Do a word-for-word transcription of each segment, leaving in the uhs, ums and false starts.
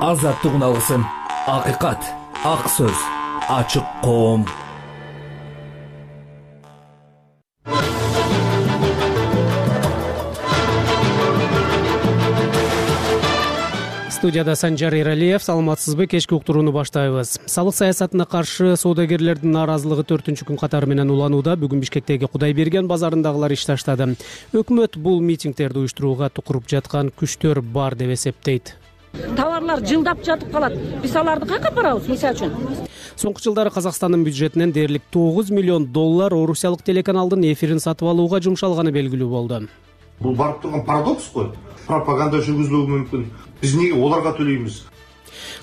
азаттык уналысын, акыйкат, ак сөз, ачык коом. Студияда Санжар Эралиев. Саламатсызбы? Кечки уктурууну баштайбыз. Салык саясатына каршы соодагерлердин нааразылыгы төртүнчү күн катары менен уланууда. Бүгүн Бишкектеги Кудайберген базарындагылар иш таштады. Өкмөт бул митингдерди уюштурууга тукуруп жаткан күчтөр бар деп эсептейт. Товарлар жылдап жатып калат. Биз аларды кайка барабыз, мисалы үчүн? Соңку жылдары Казакстандын бюджетинен дээрлик тогуз миллион доллар орусиялык телеканалдын эфирин сатып алууга жумшалганы белгилүү болду. Бул барып турган парадокс го. Пропаганда жүргүзүлүшү мүмкүн. Биз эмнеге оларга төлөйбүз?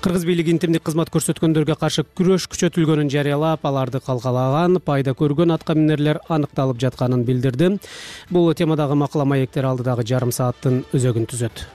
Кыргыз бийлиги интимдик кызмат көрсөткөндөргө каршы күрөш күчөтүлгөнүн жарыялап, аларды калкалаган, пайда көргөн атка минерлер аныкталып жатканын билдирди. Бул темадагы макала маектер алдыдагы жарым сааттын өзөгүн түзөт.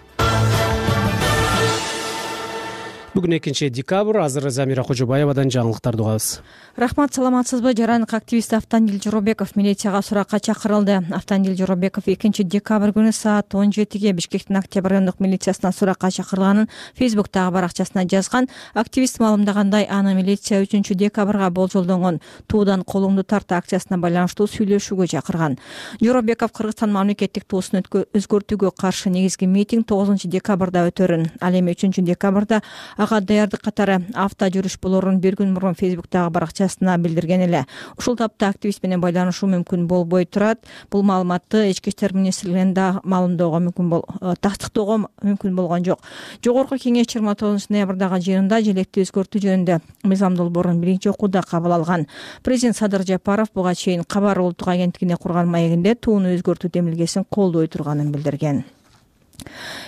Бүгүн экинчи декабрь. Азыр Замира Кожобаевадан жаңылыктарды угабыз. Рахмат, саламатсызбы? Жарандык активист Автандил Жоробеков милицияга суракка чакырылды. Автандил Жоробеков экинчи декабрь күнү саат он жетиге Бишкектин Октябрь райондук милициясына суракка чакырылганын Фейсбуктагы баракчасына жазган. Активист маалымдагандай, аны милиция үчүнчү декабрга болжолдонгон туудан колуңду тарт акциясына байланыштуу сүйлөшүүгө чакырган. Жоробеков Кыргызстан мамлекеттик туусун өзгөртүүгө каршы негизги митинг тогузунчу декабрда өтөрүн, ал эми үчүнчү декабрда ага даярдык катары авто жүрүш болорун бир күн мурун Фейсбуктагы баракчасына билдирген эле. Ушул тапта активист менен байланышуу мүмкүн болбой турат. Бул маалыматты Ички иштер министрлигинин да маалымдоого мүмкүн бол тастыктоого мүмкүн болгон жок. Жогорку кеңеш жыйырма тогузунчу ноябрдагы жыйынында желекти өзгөртүү жөнүндө мыйзам долбоорун биринчи окууда кабыл алган. Президент Садыр Жапаров буга чейин Кабар улуттук агенттигине курган маегинде тууну өзгөртүү демилгесин колдой турганын билдирген.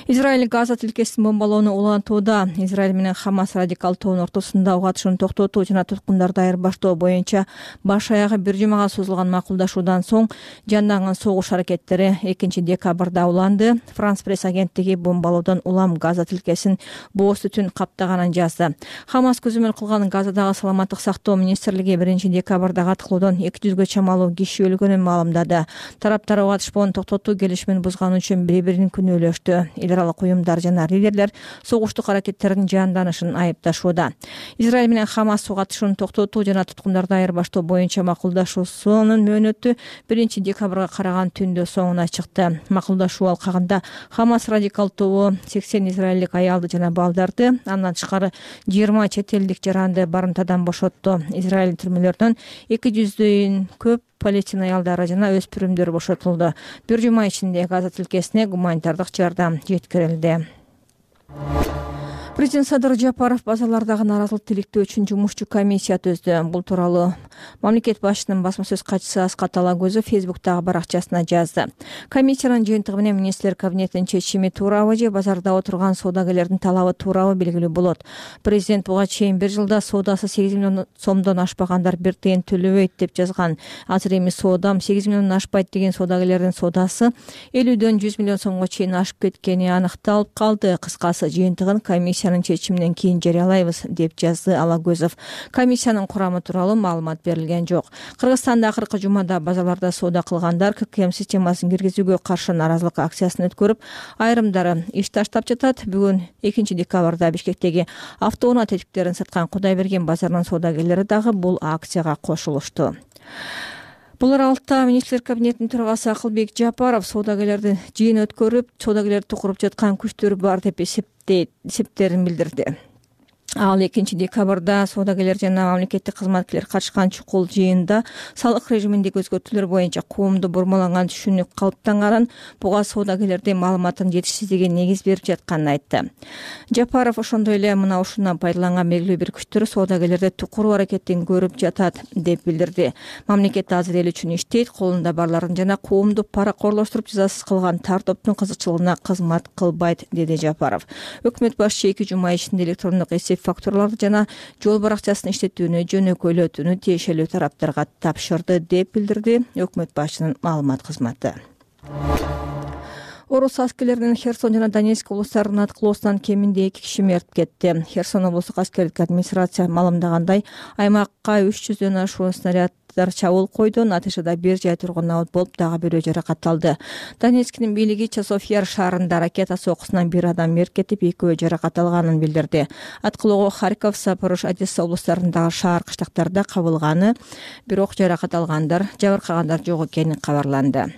Израиль Газа тилкесин бомбалоону улантууда. Израиль менен Хамас радикал тобунун ортосунда угатышууну токтотуу жана туткундарды айырбаштоо боюнча баш аягы бир жумага созулган макулдашуудан соң жанданган согуш аракеттери экинчи декабрда уланды. Франс пресс агенттиги бомбалоодон улам Газа тилкесин бооз түтүн каптаганын жазды. Хамас көзөмөл кылган Газадагы саламаттык сактоо министрлиги биринчи декабрда катылуудан эки жүзгө чамалуу киши өлгөнүн маалымдады. Тараптар угатышпоону токтотуу келишимин бузганы үчүн бири-бирин күнөөлөштү. Эл аралык уюмдар жана лидерлер согуштук аракеттердин жанданышын айыпташууда. Израиль менен Хамас угатышууну токтотуу жана туткундарды айырбаштоо боюнча макулдашуусунун мөөнөтү биринчи декабрга караган түндө соңуна чыкты. Макулдашуу алкагында Хамас радикал тобу сексен израилдик аялды жана балдарды, андан тышкары жыйырма чет элдик жаранды барымтадан бошотту. Израиль түрмөлөрүнөн эки жүздөн көп палестина аялдары жана өспүрүмдөр бошотулду. Бир жума ичинде Газа тилкесине гуманитардык жардам жеткирилди. Президент Садыр Жапаров базалардагы нааразылык тиликтөө үчүн жумушчу комиссия түздү. Бул тууралуу мамлекет башчысынын басма сөз катчысы Аскат Алагөзов Фейсбуктагы баракчасына жазды. Комиссиянын жыйынтыгы менен министрлер кабинетинин чечими туурабы же базарда отурган соодагерлердин талабы туурабы белгилүү болот. Президент буга чейин бир жылда соодасы сегиз миллион сомдон ашпагандар бир тыйын төлөбөйт деп жазган. Азыр эми соодам сегиз миллиондон ашпайт деген соодагерлердин соодасы элүүдөн жүз миллион сомго чейин ашып кеткени аныкталып калды. Кыскасы, жыйынтыгын комиссия чечиминен кийин жарыялайбыз деп жазды Алагөзов. Комиссиянын курамы тууралуу маалымат берилген жок. Кыргызстанда акыркы жумада базаларда соода кылгандар ККМ системасын киргизүүгө каршы нааразылык акциясын өткөрүп, айрымдары иш таштап жатат. Бүгүн экинчи декабрда Бишкектеги автоунаа тетиктерин саткан Кудайберген базарынын соодагерлери дагы бул акцияга кошулушту. Бул аралыкта министрлер кабинетинин төрагасы Акылбек Жапаров соодагерлерди жыйын өткөрүп, соодагерлерди тукуруп жаткан күчтөр бар деп эсептейт, эсептерин билдирди. Ал экинчи декабрда соодагерлер жана мамлекеттик кызматкерлер катышкан чукул жыйында салык режиминдеги өзгөртүүлөр боюнча коомдо бурмаланган түшүнүк калыптанганын, буга соодагерлердин маалыматын жетишсиздиги негиз берип жатканын айтты. Жапаров ошондой эле мына ушундан пайдаланган белгилүү бир күчтөр соодагерлерди тукуруу аракетин көрүп жатат деп билдирди. Мамлекет азыр эл үчүн иштейт, колунда барларын жана коомду паракорлоштуруп жазасыз кылган тар топтун кызыкчылыгына кызмат кылбайт, деди Жапаров. Өкмөт башчы эки жума ичинде электрондук эсеп фактураларды жана жол баракчасын иштетүүнү жөнөкөйлөтүүнү тиешелүү тараптарга тапшырды деп билдирди өкмөт башчынын маалымат кызматы. Орус аскерлеринин Херсон жана Донецк облустарынын аткылоосунан кеминде эки киши мерт кетти. Херсон облустук аскердик администрация маалымдагандай, аймакка үч жүздөн ашуун снаряд чабуул койду. Натыйжада бир жай тургун абот болуп, дагы бирөө жаракат алды. Донецктин бийлиги Часов Яр шаарында ракета сокусунан бир адам мерт кетип, экөө жаракат алганын билдирди. Аткылоого Харьков, Запорож, Одесса облустарындагы шаар кыштактарда кабылганы, бирок жаракат алгандар, жабыркагандар жок экени кабарланды.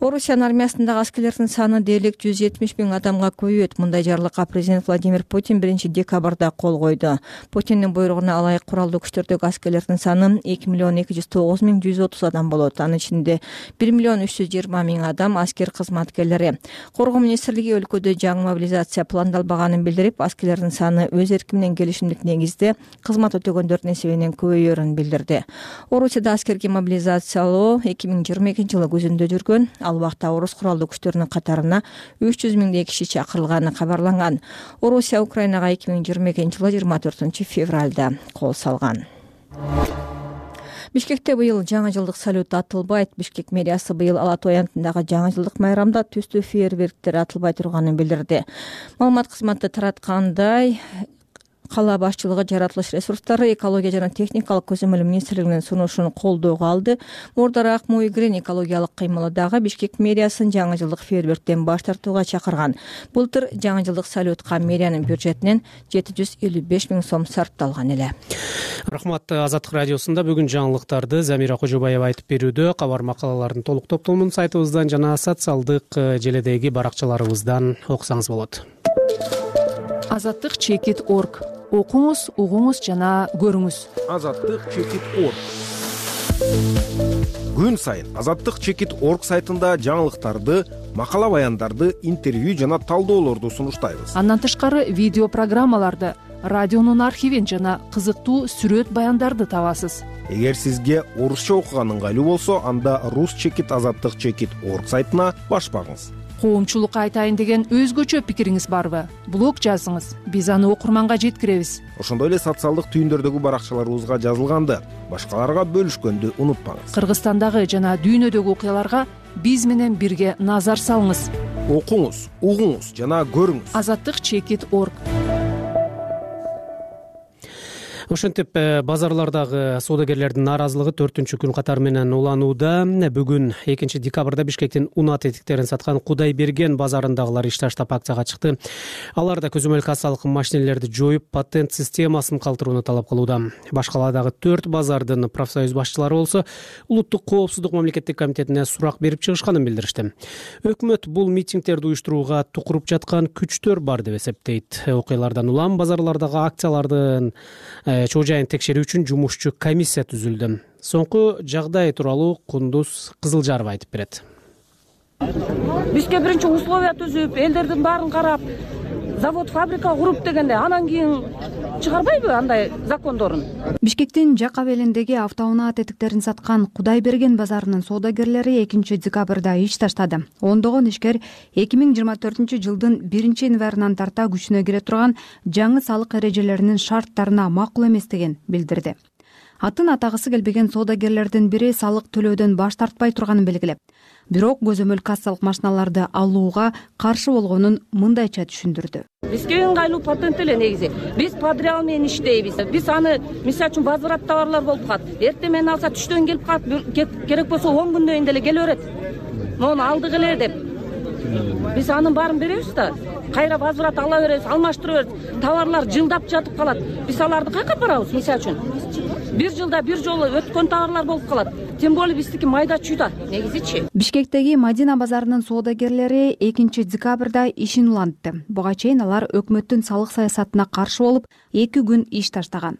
Орусиянын армиясындагы аскерлердин саны дээрлик жүз жетимиш миң адамга көбөйөт. Мындай жарлыкка президент Владимир Путин биринчи декабрда кол койду. Путиндин буйругуна ылайык куралдуу күчтөрдөгү аскерлердин саны эки миллион эки жүз тогуз миң жүз отуз адам болот. Анын ичинде бир миллион үч жүз жыйырма миң адам аскер кызматкерлери. Коргоо министрлиги өлкөдө жаңы мобилизация пландалбаганын билдирип, аскерлердин саны өз эрки менен келишимдик негизде кызмат өтөгөндөрдүн эсебинен көбөйөрүн билдирди. Орусияда аскерге мобилизациялоо эки миң жыйырма экинчи жылы күзүндө жүргөн. Ал убакта орус куралдуу күчтөрүнүн катарына үч жүз миңдей киши чакырылганы кабарланган. Орусия Украинага эки миң жыйырма экинчи жылы жыйырма төртүнчү февралда кол салган. Бишкекте быйыл жаңы жылдык салют атылбайт. Бишкек мэриясы быйыл Ала Той аянтындагы жаңы жылдык майрамда түстүү фейерверктер атылбай турганын билдирди. Маалымат кызматы тараткандай, кала башчылыгы жаратылыш ресурстары, экология жана техникалык көзөмөл министрлигинин сунушун колдоого алды. Мурдараак Муйгрен экологиялык кыймылы дагы Бишкек мэриясын жаңы жылдык фейерверктен баш тартууга чакырган. Былтыр жаңы жылдык салютка мэриянын бюджетинен жети жүз элүү беш миң сом сарпталган эле. Рахмат. Азаттык радиосунда бүгүн жаңылыктарды Замира Кожобаева айтып берүүдө. Кабар макалалардын толук топтомун сайтыбыздан жана социалдык желедеги баракчаларыбыздан окусаңыз болот. Азаттык чекит орг. Окуңуз, угуңуз жана көрүңүз. Азаттык чекит орг. Күн сайын Азаттык чекит орг сайтында жаңылыктарды, макала баяндарды, интервью жана талдоолорду сунуштайбыз. Андан тышкары видео программаларды, радионун архивин жана кызыктуу сүрөт баяндарды табасыз. Эгер сизге орусча окуган ыңгайлуу болсо, анда рус чекит азаттык чекит орг сайтына баш багыңыз. Коомчулукка айтайын деген өзгөчө пикириңиз барбы? Блог жазыңыз. Биз аны окурманга жеткиребиз. Ошондой эле социалдык түйүндөрдөгү баракчаларыбызга жазылганды башкаларга бөлүшкөндү унутпаңыз. Кыргызстандагы жана дүйнөдөгү окуяларга биз менен бирге назар салыңыз. Окуңуз, угуңуз жана көрүңүз. Азаттык чекит орг. Ошентип базарлардагы соодагерлердин нааразылыгы төртүнчү күн катары менен уланууда. Бүгүн экинчи декабрда Бишкектин унат этиктерин саткан Кудайберген базарындагылар иш таштап акцияга чыкты. Алар да көзөмөл кассалык машинелерди жоюп, патент системасын калтырууну талап кылууда. Башкаладагы төрт базардын профсоюз башчылары болсо улуттук коопсуздук мамлекеттик комитетине сурак берип чыгышканын билдиришти. Өкмөт бул митингдерди уюштурууга тукуруп жаткан күчтөр бар деп эсептейт. Окуялардан улам базарлардагы акциялардын чоо жайын текшерүү үчүн жумушчу комиссия түзүлдү. Соңку жагдай тууралуу Кундуз Кызылжарова айтып берет. Бизге биринчи условия түзүп, элдердин баарын карап, завод, фабрика куруп дегенде, анан кийин чыгарбайбы андай закондорун? Бишкектин жак абелиндеги автоунаа тетиктерин саткан Кудайберген базарынын соодагерлери экинчи декабрда иш таштады. Ондогон ишкер эки миң жыйырма төртүнчү жылдын биринчи январынан тарта күчүнө кире турган жаңы салык эрежелеринин шарттарына макул эместигин билдирди. Атын атагысы келбеген соодагерлердин бири салык төлөөдөн баш тартпай турганын белгилеп, бирок көзөмөл кассалык машиналарды алууга каршы болгонун мындайча түшүндүрдү. Бизге ыңгайлуу патент эле негизи. Биз подряд менен иштейбиз. Биз аны мисалы үчүн возврат товарлар болуп калат. Эртең менен алса түштөн келип калат, керек болсо он күндөн кийин деле келе берет. Мону алдык эле деп. Биз анын баарын беребиз да. Кайра возврат ала беребиз, алмаштыра беребиз. Товарлар жылдап жатып калат. Биз аларды кайка барабыз мисалы үчүн? Бир жылда бир жолу өткөн товарлар болуп калат. Тем более биздики майда чүйда негизичи. Бишкектеги Мадина базарынын соодагерлери экинчи декабрда ишин улантты. Буга чейин алар өкмөттүн салык саясатына каршы болуп, эки күн иш таштаган.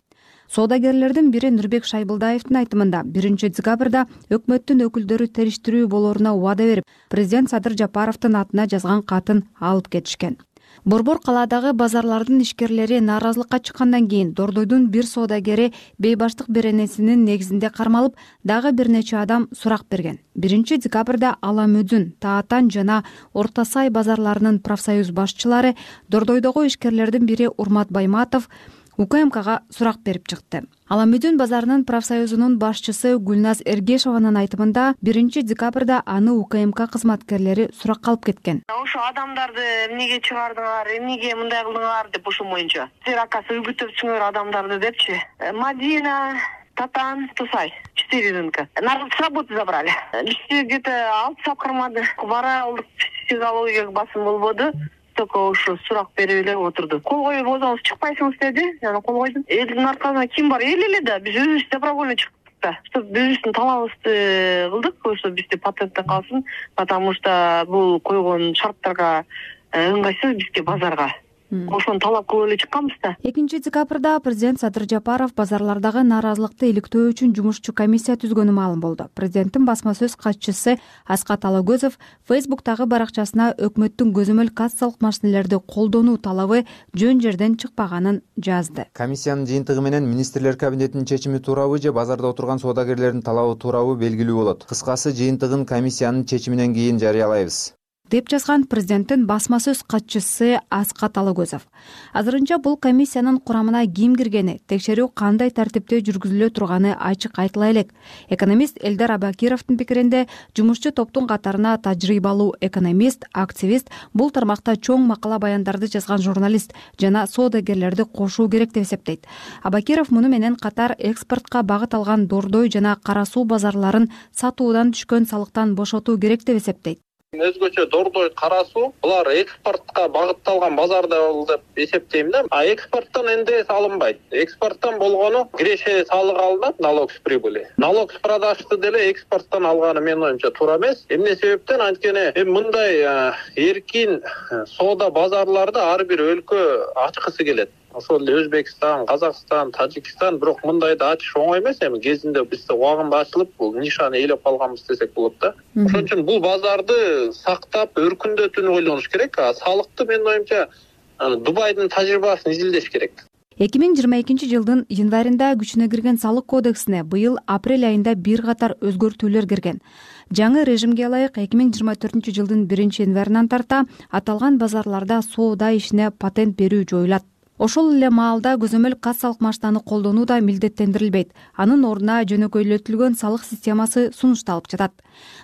Соодагерлердин бири Нурбек Шайбылдаевдин айтымында биринчи декабрда өкмөттүн өкүлдөрү териштирүү болоруна убада берип, президент Садыр Жапаровдун атына жазган катын алып кетишкен. Борбор калаадагы базарлардын ишкерлери нааразылыкка чыккандан кийин Дордойдун бир соодагери бейбаштык беренесинин негизинде кармалып, дагы бир нече адам сурак берген. биринчи декабрда Ала Мөдүн, Таатан жана Орто Сай базарларынын профсоюз башчылары, Дордойдогу ишкерлердин бири Урмат Байматов, УКМКга сурак берип чыкты. Аламүдүн базарынын профсоюзунун башчысы Гүлназ Эргешованын айтымында биринчи декабрда аны УКМК кызматкерлери суракка алып кеткен. Ошо адамдарды эмнеге чыгардыңар, эмнеге мындай кылдыңар деп ушул моюнча. Силер акасы үгүттөпсүңөр адамдарды депчи. Мадина, Татан, Тусай. Четыре рынка. Народ с работы забрали. Бизде где-то алты саат кармады. Бара алдык, психологияга басым болбоду. Только ушу сурак берип эле отурду. Кол коюп өзүңүз чыкпайсыңыз деди. Жана кол койдум. Элдин аркасында ким бар? Эл эле да. Биз өзүбүз добровольно чыктык да. Чтоб биздин талабыбызды кылдык, ошо бизде патентте калсын, потому что бул койгон шарттарга ыңгайсыз бизге базарга. Ошону талап кылып эле чыкканбыз да. экинчи декабрда президент Садыр Жапаров базарлардагы нааразылыкты иликтөө үчүн жумушчу комиссия түзгөнү маалым болду. Президенттин басма сөз катчысы Аскат Алагөзов Фейсбуктагы баракчасына өкмөттүн көзөмөл кассалык машинелерди колдонуу талабы жөн жерден чыкпаганын жазды. Комиссиянын жыйынтыгы менен министрлер кабинетинин чечими туурабы же базарда отурган соодагерлердин талабы туурабы белгилүү болот. Кыскасы, жыйынтыгын комиссиянын чечиминен кийин жарыялайбыз, деп жазган президенттин басма сөз катчысы Аскат Алагөзов. Азырынча бул комиссиянын курамына ким киргени, текшерүү кандай тартипте жүргүзүлө турганы ачык айтыла элек. Экономист Элдар Абакировдун пикиринде, жумушчу топтун катарына тажрыйбалуу экономист, активист, бул тармакта чоң макала баяндарды жазган журналист жана соодагерлерди кошуу керек деп эсептейт. Абакиров муну менен катар экспортко багыт алган дордой жана кара суу базарларын сатуудан түшкөн салыктан бошотуу керек деп эсептейт. Өзгөчө дордой, кара суу булар экспортко багытталган базарда деп эсептейм да. А экспорттон эн дэ эс алынбайт. Экспорттон болгону киреше салык алынат, налог с прибыли. Налог с продажды деле экспорттон алганы менин оюмча туура эмес. Эмне себептен? Анткени эми мындай эркин соода базарларды ар бир өлкө ачкысы келет. Ошол эле Өзбекстан, Казакстан, Тажикстан, бирок мындайды ачыш оңой эмес. Эми кезинде бизде убагында ачылып, бул нишаны ээлеп калганбыз десек болот да. Ошон үчүн бул базарды сактап, өркүндөтүүнү ойлонуш керек. А салыкты менин оюмча Дубайдын тажрыйбасын изилдеш керек. эки миң жыйырма экинчи жылдын январында күчүнө кирген салык кодексине быйыл апрель айында бир катар өзгөртүүлөр кирген. Жаңы режимге ылайык эки миң жыйырма төртүнчү жылдын биринчи январынан тарта аталган базарларда соода ишине патент берүү жоюлат. Ошол эле маалда көзөмөл кассалык машинаны колдонуу да милдеттендирилбейт. Анын ордуна жөнөкөйлөтүлгөн салык системасы сунушталып жатат.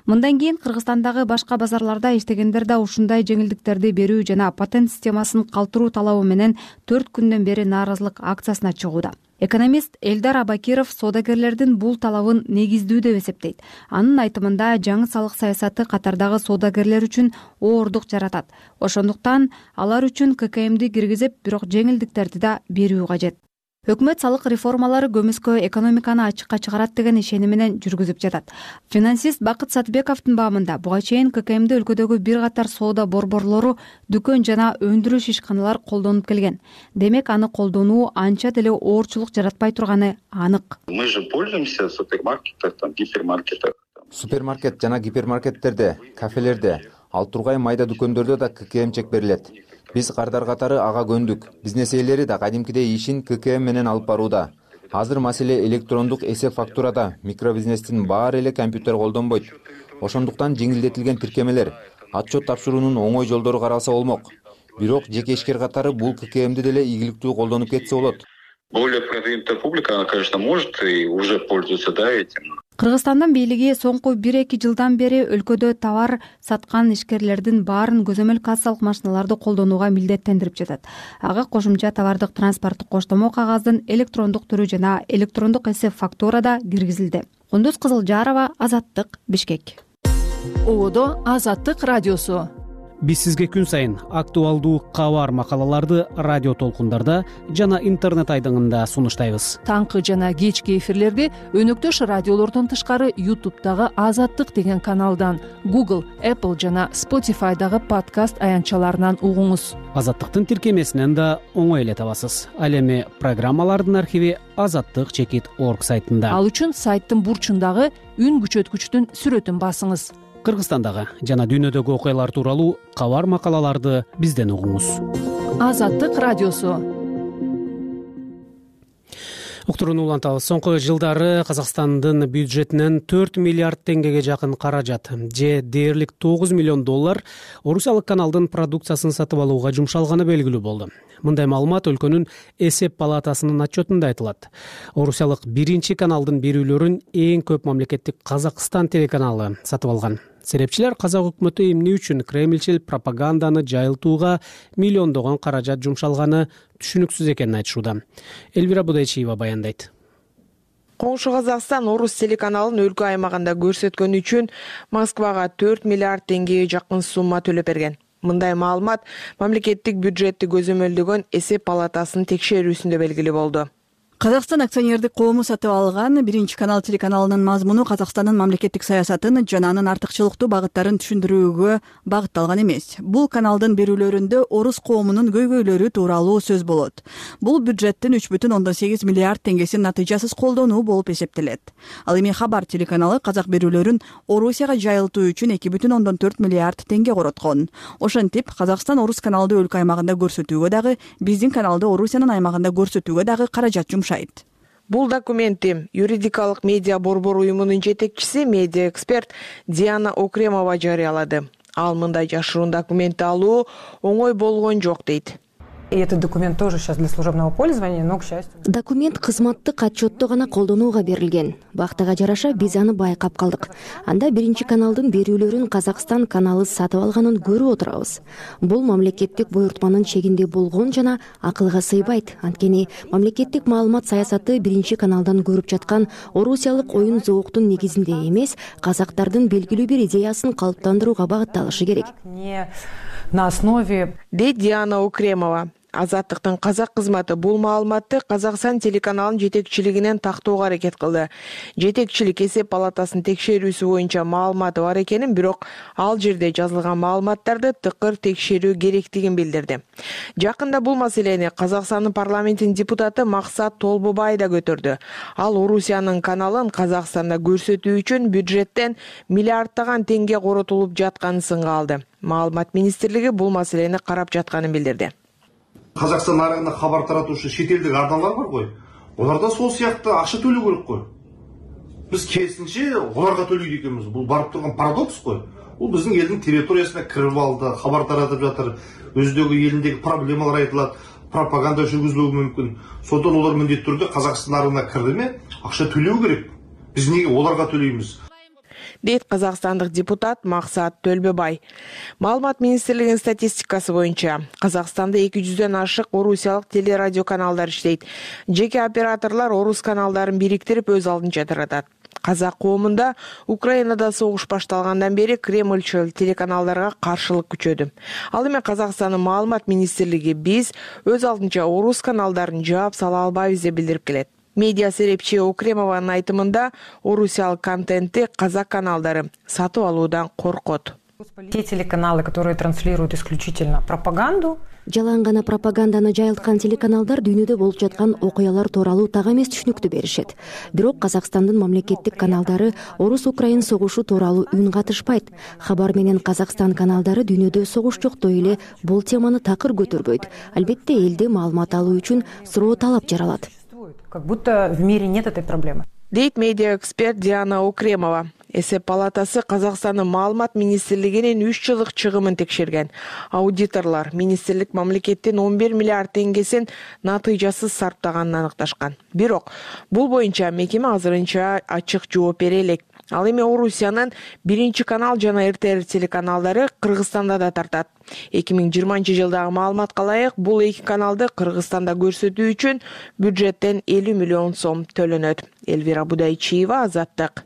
Мындан кийин Кыргызстандагы башка базарларда иштегендер да ушундай жеңилдиктерди берүү жана патент системасын калтыруу талабы менен төрт күндөн бери нааразылык акциясына чыгууда. Экономист Элдар Абакиров соодагерлердин бул талабын негиздүү деп эсептейт. Анын айтымында жаңы салык саясаты катардагы соодагерлер үчүн оордук жаратат. Ошондуктан алар үчүн ка ка эмди киргизип, бирок жеңилдиктерди да берүү кажет. Өкмөт салык реформалары көмүскө экономиканы ачыкка чыгарат деген ишеним менен жүргүзүп жатат. Финансист Бакыт Сатыбековдун баамында буга чейин ка ка эмди өлкөдөгү бир катар соода борборлору, дүкөн жана өндүрүш ишканалар колдонуп келген. Демек аны колдонуу анча деле оорчулук жаратпай турганы анык. Мы же пользуемся в супермаркетах, там, гипермаркетах. Супермаркет жана гипермаркеттерде, кафелерде, ал тургай майда дүкөндөрдө да ка ка эм чек берилет. Биз кардар катары ага көндүк. Бизнес ээлери да кадимкидей ишин ка ка эм менен алып барууда. Азыр маселе электрондук эсеп фактурада. Микробизнестин баары эле компьютер колдонбойт. Ошондуктан жеңилдетилген тиркемелер, отчет тапшыруунун оңой жолдору каралса болмок. Бирок жеке ишкер катары бул ка ка эмди деле ийгиликтүү колдонуп кетсе болот. Более продвинутая публика, она, конечно, может и уже пользуется, да, этим. Кыргызстандын бийлиги соңку бир-эки жылдан бери өлкөдө товар саткан ишкерлердин баарын көзөмөл кассалык машиналарды колдонууга милдеттендирип жатат. Ага кошумча товардык транспорттук коштомо кагаздын электрондук түрү жана электрондук эсеп фактура да киргизилди. Кундуз Кызылжарова, Азаттык, Бишкек. Ободо Азаттык радиосу. Биз сизге күн сайын актуалдуу кабар макалаларды радио толкундарда жана интернет айдыңында сунуштайбыз. Таңкы жана кечки эфирлерди өнөктөш радиолордон тышкары ютубтагы Азаттык деген каналдан, Google, Apple жана Spotify'дагы подкаст аянтчаларынан угуңуз. Азаттыктын тиркемесинен да оңой эле табасыз. Ал эми программалардын архиви азаттык чекит орг сайтында. Ал үчүн сайттын бурчундагы үн күчөткүчтүн сүрөтүн басыңыз. Кыргызстандагы жана дүйнөдөгү окуялар тууралуу кабар макалаларды бизден угуңуз. Азаттык радиосу. уктурууну улантабыз. Соңку жылдары Казакстандын бюджетинен төрт миллиард теңгеге жакын каражат же дээрлик тогуз миллион доллар орусиялык каналдын продукциясын сатып алууга жумшалганы белгилүү болду. Мындай маалымат өлкөнүн эсеп палатасынын отчетунда айтылат. Орусиялык биринчи каналдын берүүлөрүн эң көп мамлекеттик Казакстан телеканалы сатып алган. Серепчилер казак өкмөтү эмне үчүн кремльчил пропаганданы жайылтууга миллиондогон каражат жумшалганы түшүнүксүз экенин айтышууда. Элвира Будайчиева баяндайт. Коңшу Казакстан орус телеканалын өлкө аймагында көрсөткөнү үчүн Москвага төрт миллиард теңгеге жакын сумма төлөп берген. Мындай маалымат мамлекеттик бюджетти көзөмөлдөгөн эсеп палатасынын текшерүүсүндө белгилүү болду. Казакстан акционердик коому сатып алган биринчи канал телеканалынын мазмуну Казакстандын мамлекеттик саясатын жана анын артыкчылыктуу багыттарын түшүндүрүүгө багытталган эмес. Бул каналдын берүүлөрүндө орус коомунун көйгөйлөрү тууралуу сөз болот. Бул бюджеттин үч бүтүн ондон сегиз миллиард теңгесин натыйжасыз колдонуу болуп эсептелет. Ал эми Хабар телеканалы казак берүүлөрүн Орусияга жайылтуу үчүн эки бүтүн ондон төрт миллиард теңге короткон. Ошентип Казакстан орус каналды өлкө аймагында көрсөтүүгө дагы, биздин каналды Орусиянын аймагында көрсөтүүгө дагы каражат жумшайт. Бул документти юридикалык медиа борбор уюмунун жетекчиси, медиа эксперт Диана Окремова жарыялады. Ал мындай жашыруун документти алуу оңой болгон жок дейт. И этот документ тоже сейчас для служебного пользования, но, к счастью... Документ кызматтык отчетто гана колдонууга берилген. Бактыга жараша биз аны байкап калдык. Анда биринчи каналдын берүүлөрүн Казакстан каналы сатып алганын көрүп отурабыз. Бул мамлекеттик буйртманын чегинде болгон жана акылга сыйбайт. Анткени мамлекеттик маалымат саясаты биринчи каналдан көрүп жаткан орусиялык оюн зооктун негизинде эмес, казактардын белгилүү бир идеясын калыптандырууга багытталышы керек. Не на основе... Дейт Диана Окремова. Азаттыктын казак кызматы бул маалыматты Казакстан телеканалынын жетекчилигинен тактоого аракет кылды. Жетекчилик эсеп палатасынын текшерүүсү боюнча маалыматы бар экенин, бирок ал жерде жазылган маалыматтарды тыкыр текшерүү керектигин билдирди. Жакында бул маселени Казакстандын парламентинин депутаты Максат Толбобай да көтөрдү. Ал Орусиянын каналын Казакстанда көрсөтүү үчүн бюджеттен миллиарддаган теңге коротулуп жатканын сынга алды. Маалымат министрлиги бул маселени карап жатканын билдирди. Казакстан нарыгында хабар таратуучу шет элдик арналар бар ғой. Олар да сол сыяктуу акча төлөө керек қой. Біз керісінше оларға төлейді екенбіз. Бұл барып тұрған парадокс қой. Бұл біздің елдің территориясына кіріп алды, хабар таратып жатыр, өздегі еліндегі проблемалар айтылады, пропаганда жүргізілуі мүмкін. Сондықтан олар міндетті түрде Қазақстан нарығына кірді ме, ақша төлеу керек. Біз неге оларға төлейміз? Дейт казакстандык депутат Максат Төлбөбай. Маалымат министрлигинин статистикасы боюнча Казакстанда эки жүздөн ашык орусиялык телерадио каналдар иштейт. Жеке операторлор орус каналдарын бириктирип өз алдынча таратат. Казак коомунда Украинада согуш башталгандан бери кремльчил телеканалдарга каршылык күчөдү. Ал эми Казакстандын маалымат министрлиги биз өз алдынча орус каналдарын жаап сала албайбыз деп билдирип келет. Медиа серепчи Окремованын айтымында орусиялык контентти казак каналдары сатып алуудан коркот. Те телеканалы, которые транслируют исключительно пропаганду, жалаң гана пропаганданы жайылткан телеканалдар дүйнөдө болуп жаткан окуялар тууралуу так эмес түшүнүктү беришет. Бирок Казакстандын мамлекеттик каналдары орус-украин согушу тууралуу үн катышпайт. Хабар менен Казакстан каналдары дүйнөдө согуш жоктой эле бул теманы такыр көтөрбөйт. Албетте элде маалымат алуу үчүн суроо талап жаралат. Как будто в мире нет этой проблемы. Дейт медиа эксперт Диана Окремова. Эсеп палатасы Казакстандын маалымат министрлигинин үч жылдык чыгымын текшерген. Аудиторлор министрлик мамлекеттин он бир миллиард теңгесин натыйжасыз сарптаганын аныкташкан. Бирок бул боюнча мекеме азырынча ачык жооп бере элек. Ал эми Орусиянын биринчи канал жана эр тэ эр телеканалдары Кыргызстанда да тартат. эки миң жыйырманчы жылдагы маалыматка ылайык бул эки каналды Кыргызстанда көрсөтүү үчүн бюджеттен элүү миллион сом төлөнөт. Элвира Будайчиева, Азаттык.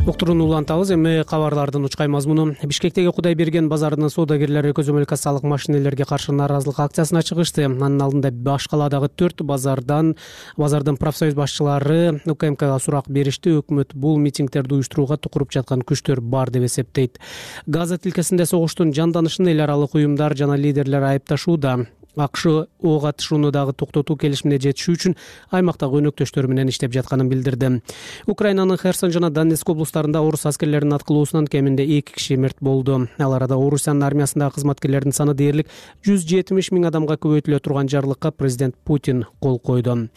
Уктурууну улантабыз. Эми кабарлардын учкай мазмуну. Бишкектеги Кудайберген базарынын соодагерлери көзөмөл кассалык машинелерге каршы нааразылык акциясына чыгышты. Анын алдында баш каладагы төрт базардан базардын профсоюз башчылары У К М Кга сурак беришти. Өкмөт бул митингдерди уюштурууга тукуруп жаткан күчтөр бар деп эсептейт. Газа тилкесинде согуштун жанданышын эл аралык уюмдар жана лидерлер айыпташууда. акш ого атышууну дагы токтотуу келишимине жетишүү үчүн аймактагы өнөктөштөрү менен иштеп жатканын билдирди. Украинанын Херсон жана Донецк облустарында орус аскерлеринин аткылуусунан кеминде эки киши мерт болду. Ал арада Орусиянын армиясындагы кызматкерлердин саны дээрлик жүз жетимиш миң адамга көбөйтүлө турган жарлыкка президент Путин кол койду.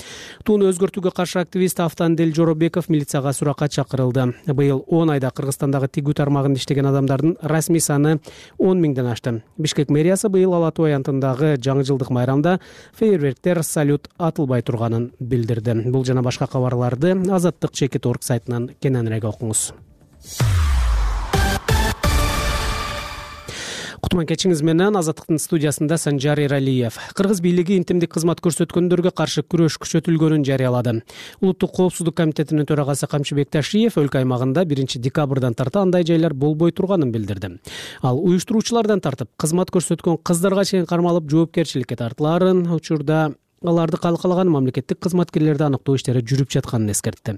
Тууну өзгөртүүгө каршы активист Автандил Жоробеков милицияга суракка чакырылды. Быйыл он айда Кыргызстандагы тигүү тармагында иштеген адамдардын расмий саны он миңден ашты. Бишкек мэриясы быйыл Ала Тоо аянтындагы жаңы жылдык майрамда фейерверктер, салют атылбай турганын билдирди. Бул жана башка кабарларды Азаттык чекит орг сайтынан кененирээк окуңуз. Кутман кечиңиз менен Азаттыктын студиясында Санжар Эралиев. Кыргыз бийлиги интимдик кызмат көрсөткөндөргө каршы күрөш күчөтүлгөнүн жарыялады. Улуттук коопсуздук комитетинин төрагасы Камчыбек Ташиев өлкө аймагында биринчи декабрдан тарта андай жайлар болбой турганын билдирди. Ал уюштуруучулардан тартып, кызмат көрсөткөн кыздарга чейин кармалып жоопкерчиликке тартылаарын, учурда аларды калкалаган мамлекеттик кызматкерлерди аныктоо иштери жүрүп жатканын эскертти.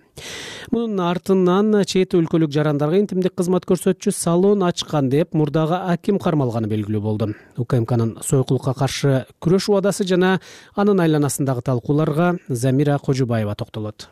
Мунун артынан чет өлкөлүк жарандарга интимдик кызмат көрсөтчү салон ачкан деп мурдагы аким кармалганы белгилүү болду. УКМКнын сойкулукка каршы күрөш убадасы жана анын айланасындагы талкууларга Замира Кожубаева токтолот.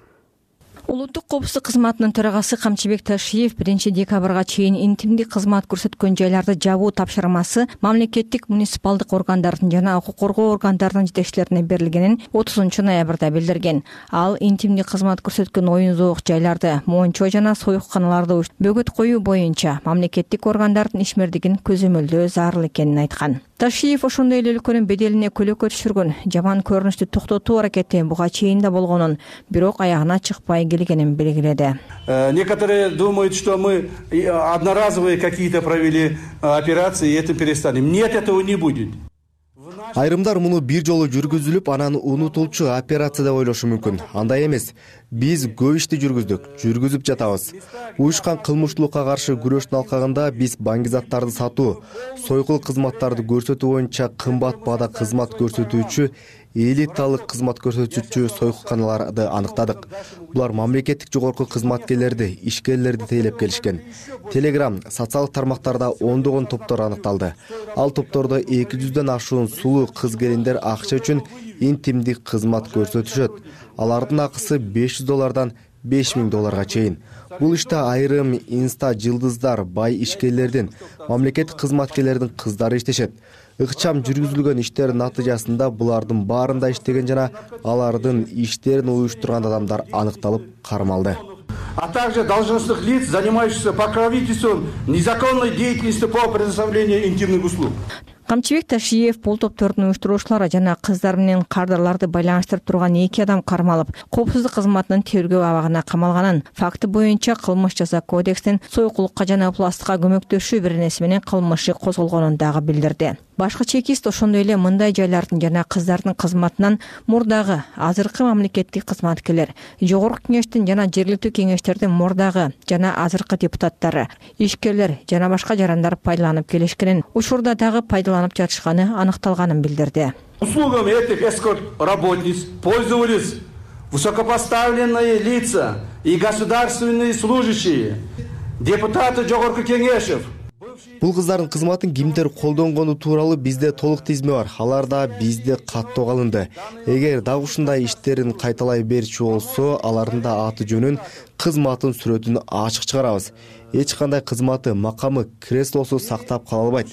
Улуттук коопсуздук кызматынын төрагасы Камчыбек Ташиев биринчи декабрга чейин интимдик кызмат көрсөткөн жайларды жабуу тапшырмасы мамлекеттик муниципалдык органдардын жана укук коргоо органдарынын жетекчилерине берилгенин отузунчу ноябрда билдирген. Ал интимдик кызмат көрсөткөн оюн зоок жайларды, мончо жана союкканаларды бөгөт коюу боюнча мамлекеттик органдардын ишмердигин көзөмөлдөө зарыл экенин айткан. Ташиев ошондой эле өлкөнүн беделине көлөкө түшүргөн жаман көрүнүштү токтотуу аракети буга чейин да болгонун, бирок аягына чыкпай келгенин белгиледи. Некоторые думают, что мы одноразовые какие-то провели операции и этим перестанем. Нет, этого не будет. Айрымдар муну бир жолу жүргүзүлүп, анан унутулчу операция деп ойлошу мүмкүн. Андай эмес. Биз көп ишти жүргүздүк, жүргүзүп жатабыз. Уюшкан кылмыштуулукка каршы күрөштүн алкагында биз баңгизаттарды сатуу, сойкул кызматтарды көрсөтүү боюнча кымбат баада кызмат көрсөтүүчү, элиталык кызмат көрсөтүүчү сойкуканаларды аныктадык. Булар мамлекеттик жогорку кызматкерлерди, ишкерлерди тейлеп келишкен. Телеграм, социалдык тармактарда ондогон топтор аныкталды. Ал топтордо эки жүздөн ашуун сулуу кыз-келиндер акча үчүн интимдик кызмат көрсөтүшөт. Алардын акысы беш жүз доллардан беш миң долларга чейин. Бул иште айрым инста жылдыздар, бай ишкерлердин, мамлекеттик кызматкерлердин кыздары иштешет. Ыкчам жүргүзүлгөн иштердин натыйжасында булардын баарында иштеген жана алардын иштерин уюштурган адамдар аныкталып кармалды. А также должностных лиц, занимающихся покровительством незаконной деятельности по предоставлению интимных услуг. Камчыбек Ташиев бул топтордун уюштуруучулары жана кыздар менен кардарларды байланыштырып турган эки адам кармалып, коопсуздук кызматынын тергөө абагына камалганын, факты боюнча кылмыш жаза кодекстин сойкулукка жана пластыкка көмөктөшүү беренеси менен кылмышы козголгонун дагы билдирди. Башкы чекист ошондой эле мындай жайлардын жана кыздардын кызматынан мурдагы, азыркы мамлекеттик кызматкерлер, жогорку кеңештин жана жергиликтүү кеңештердин мурдагы жана азыркы депутаттары, ишкерлер жана башка жарандар пайдаланып келишкенин, учурда дагы пайдаланып жатышканы аныкталганын билдирди. Услугами этих эскорт-работниц пользовались высокопоставленные лица и государственные служащие, депутаты жогорку кеңешев. Бул кыздардын кызматын кимдер колдонгону тууралуу бизде толук тизме бар. Алар да бизде каттоо калынды. Эгер дагы ушундай иштерин кайталай берчү болсо, алардын да аты жөнүн, кызматын сүрөтүн ачык чыгарабыз. Эч кандай кызматы, макамы, креслосу сактап кала албайт.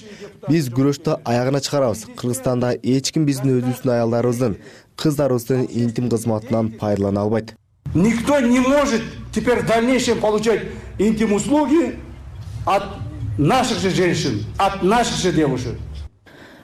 Биз күрөштү аягына чыгарабыз. Кыргызстанда эч ким биздин өзүбүздүн аялдарыбыздын, кыздарыбыздын интим кызматынан пайдалана албайт. Никто не может теперь в дальнейшем получать интим услуги от наших же женщин, от наших же девушек.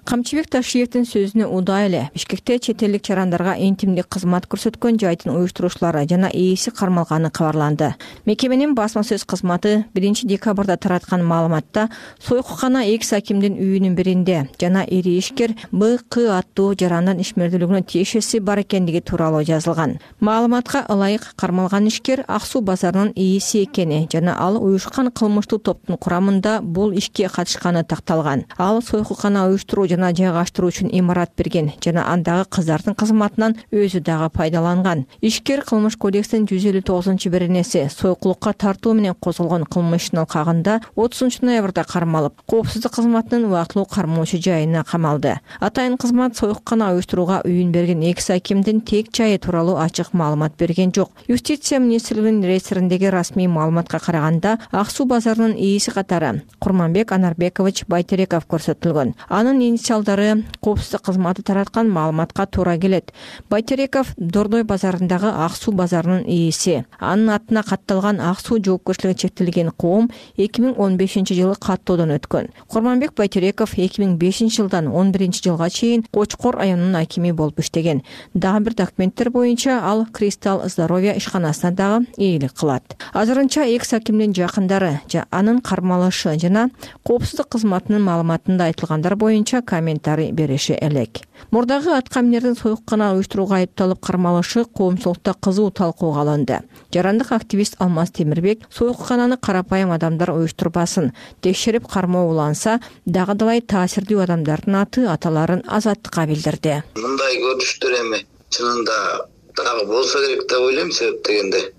Камчыбек Ташиевдин сөзүнө удай эле Бишкекте чет элдик жарандарга интимдик кызмат көрсөткөн жайдын уюштуруучулары жана ээси кармалганы кабарланды. Мекеменин басма сөз кызматы биринчи декабрда тараткан маалыматта сойкукана экс акимдин үйүнүн биринде жана ири ишкер Б К аттуу жарандын ишмердүүлүгүнө тиешеси бар экендиги тууралуу жазылган. Маалыматка ылайык кармалган ишкер Ак Суу базарынын ээси экени жана ал уюшкан кылмыштуу топтун курамында бул ишке катышканы такталган. Ал сойкукана уюштуруу жана жайгаштыруу үчүн имарат берген жана андагы кыздардын кызматынан өзү дагы пайдаланган. Ишкер кылмыш кодекстин жүз элүү тогузунчу беренеси союкулукка тартуу менен козголгон кылмыш ишин алкагында отузунчу ноябрда кармалып, коопсуздук кызматынын убактылуу кармоочу жайына камалды. Атайын кызмат союккана уюштурууга үйүн берген экс акимдин тек жайы тууралуу ачык маалымат берген жок. Юстиция министрлигинин реестриндеги расмий маалыматка караганда Ак суу базарынын ээси катары Курманбек Анарбекович Байтереков көрсөтүлгөн. Анын инициалдары коопсуздук кызматы тараткан маалыматка туура келет. Байтереков Дордой базарындагы Ак суу базарынын ээси. Анын атына катталган Ак суу жоопкерчилиги чектелген коом эки миң он бешинчи жылы каттоодон өткөн. Курманбек Байтереков эки миң бешинчи жылдан он биринчи жылга чейин Кочкор районунун акими болуп иштеген. Дагы бир документтер боюнча ал Кристалл здоровье ишканасына дагы ээлик кылат. Азырынча экс акимдин жакындары анын кармалышы жана коопсуздук кызматынын маалыматында айтылгандар боюнча комментарий бериши элек. Мурдагы аткаминердин союккана уюштурууга айыпталып кармалышы коомчулукта кызуу талкууга алынды. Жарандык активист Алмаз Темирбек союккананы карапайым адамдар уюштурбасын, текшерип кармоо уланса, дагы далай таасирдүү адамдардын аты аталарын азаттыкка билдирди. Мындай көрүнүштөр эми чынында дагы болсо керек деп ойлойм, себеп дегенде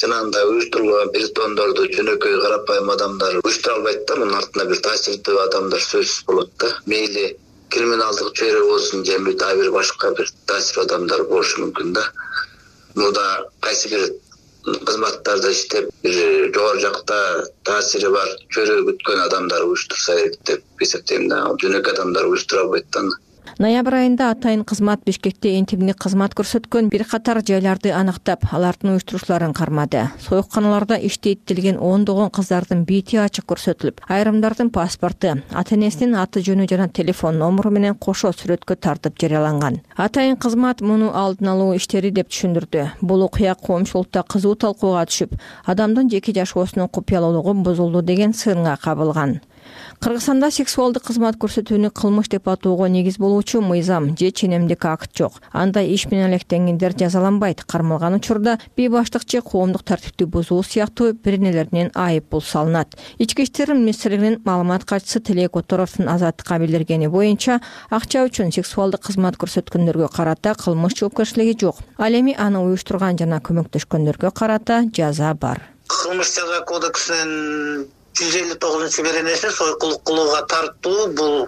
жанагындай уюштурулган притондорду жөнөкөй карапайым адамдар уюштура албайт да, мунун артында бир таасирдүү адамдар сөзсүз болот да. Мейли криминалдык чөйрө болсун же дагы бир башка бир таасир адамдар болушу мүмкүн да. Мурда кайсы бир кызматтарда иштеп, бир жогору жакта таасири бар чөйрө бүткөн адамдар уюштурса керек деп эсептейм да. Жөнөкөй адамдар уюштура албайт да. Ноябрь айында атайын кызмат Бишкекте энтигине кызмат көрсөткөн бир катар жайларды аныктап, алардын уюштуруучуларын кармады. Союкканаларда иштейт делген ондогон кыздардын бити ачык көрсөтүлүп, айрымдардын паспорту, ата-энесинин аты жөнү жана телефон номуру менен кошо сүрөткө тартып жарыяланган. Атайын кызмат муну алдын алуу иштери деп түшүндүрдү. Бул окуя коомчулукта кызуу талкууга түшүп, адамдын жеке жашоосунун купуялуулугу бузулду деген сынга кабылган. Кыргызстанда сексуалдык кызмат көрсөтүүнү кылмыш деп атоого негиз болуучу мыйзам же ченемдик акт жок. Андай иш менен алектенгендер жазаланбайт. Кармалган учурда бейбаштык же коомдук тартипти бузуу сыяктуу бирнелеринен айып пул салынат. Ички иштер министрлигинин маалымат катчысы Телек Которовдун азаттыкка билдиргени боюнча, акча үчүн сексуалдык кызмат көрсөткөндөргө карата кылмыш жоопкерчилиги жок. Ал эми аны уюштурган жана көмөктөшкөндөргө карата жаза бар. Кылмыш жаза кодексинин жүз элүү тогузунчу беренеси союкулук кылууга тартуу бул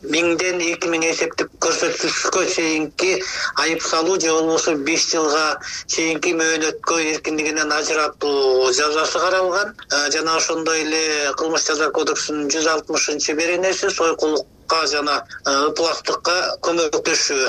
миңден эки миң эсептик көрсөткүчкө чейинки айып салуу же болбосо беш жылга чейинки мөөнөткө эркиндигинен ажыратуу жазасы каралган. Жана ошондой эле кылмыш жаза кодексинин жүз алтымышынчы беренеси союкулукка жана ыпластыкка көмөктөшүү,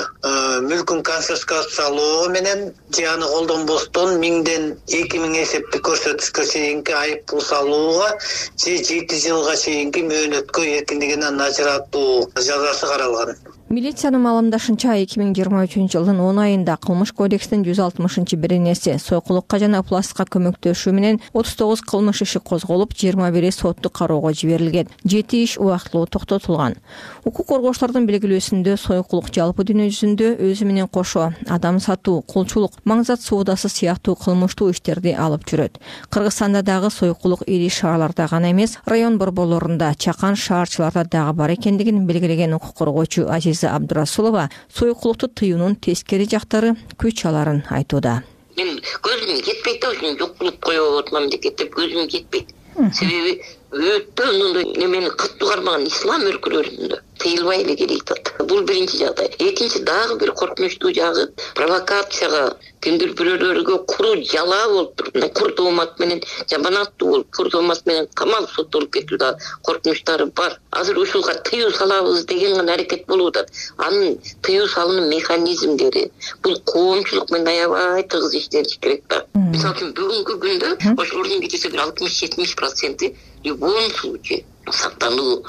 мүлкүн конфискациялоо менен же аны колдонбостон миңден эки миң эсептик көрсөткүчкө чейинки айып пул салууга же жети жылга чейинки мөөнөткө эркиндигинен ажыратуу жазасы каралган. Милициянын маалымдашынча эки миң жыйырма үчүнчү жылдын он айында кылмыш кодекстин жүз алтымышынчы беренеси союкулукка жана ыпластыкка көмөктөшүү менен отуз тогуз кылмыш иши козголуп, жыйырма бири соттук кароого жиберилген. жети иш убактылуу токтотулган. Укук коргоочулардын белгилөөсүндө союкулук жалпы дүйнө жүзүндө өзү менен кошо адам сатуу, кулчулук, маңзат соодасы сыяктуу кылмыштуу иштерди алып жүрөт. Кыргызстанда дагы союкулук ири шаарларда гана эмес, район борборлорунда, чакан шаарчыларда дагы бар экендигин белгилеген укук коргоочу Азиза Абдурасулова союкулукту тыюунун тескери жактары күч аларын айтууда. Мен көзүм жетпейт да, ушуну жок кылып коюп атам мамлекеттеп көзүм жетпейт. Себеби өтө мындай немени катуу кармаган ислам өлкөлөрүндө тыйылбай эле келет атат. Бул биринчи жагдай. Экинчи дагы бир коркунучтуу жагы провокацияга кимдир бирөөлөргө куру жалаа болуп туруп, кур тоомат менен жаманаттуу болуп, кур тоомат менен камал соттолуп кетүү да коркунучтары бар. Азыр ушуга тыюу салабыз деген гана аракет болуп атат. Анын тыюу салуунун механизмдери бул коомчулук менен аябай тыгыз иштелиш керек да. Мисалы үчүн бүгүнкү күндө ошолордун кечесе бир алтымыш жетимиш проценти любой случай сактануу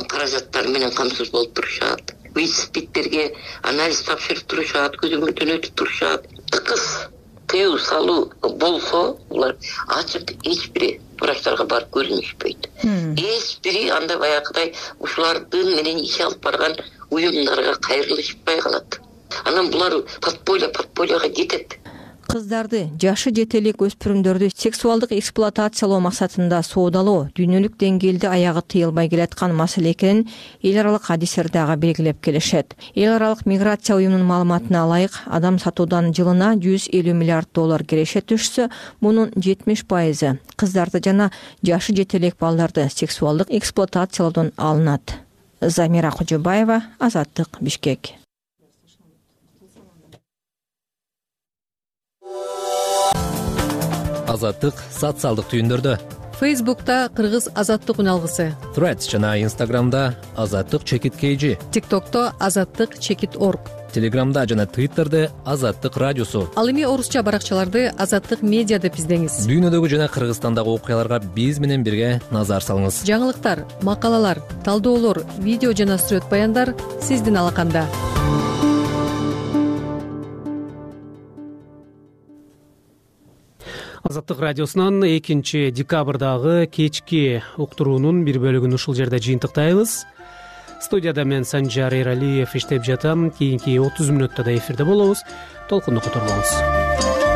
каражаттары менен камсыз болуп турушат. Виспиттерге анализ тапшырып турушат, көзөмөлдөн өтүп турушат. Тыкыз тыюу салуу болсо, булар ачык эч бир врачтарга барып көрүнүшпөйт. Эч бири андай баягыдай ушулардын менен иш алып барган уюмдарга кайрылышпай калат. Анан булар подполье подпольега кетет. кыздарды, жашы жете элек өспүрүмдөрдү сексуалдык эксплуатациялоо максатында соодалоо дүйнөлүк деңгээлде аягы тыйылбай келаткан маселе экенин эл аралык адистер дагы белгилеп келишет. Эл аралык миграция уюмунун маалыматына ылайык, адам сатуудан жылына жүз элүү миллиард доллар киреше түшсө, мунун жетимиш пайызы кыздарды жана жашы жете элек балдарды сексуалдык эксплуатациялоодон алынат. Замира Кожобаева, Азаттык, Бишкек. Азаттык социалдык түйүндөрдө. Фейсбукта Кыргыз Азаттык үналгысы, Threads жана Инстаграмда Азаттык чекит kg, ТикТокто Азаттык чекит орг, Телеграмда жана Твиттерде Азаттык радиосу. Ал эми орусча баракчаларды Азаттык медиа деп издеңиз. Дүйнөдөгү жана Кыргызстандагы окуяларга биз менен бирге назар салыңыз. Жаңылыктар, макалалар, талдоолор, видео жана сүрөт баяндар сиздин алаканда. Азаттык радиосунан экинчи декабрдагы кечки уктуруунун бир бөлүгүн ушул жерде жыйынтыктайбыз. Студияда мен Санжар Эралиев иштеп жатам. Кийинки отуз мүнөттө да эфирде болобуз. Толкунду которбоңуз.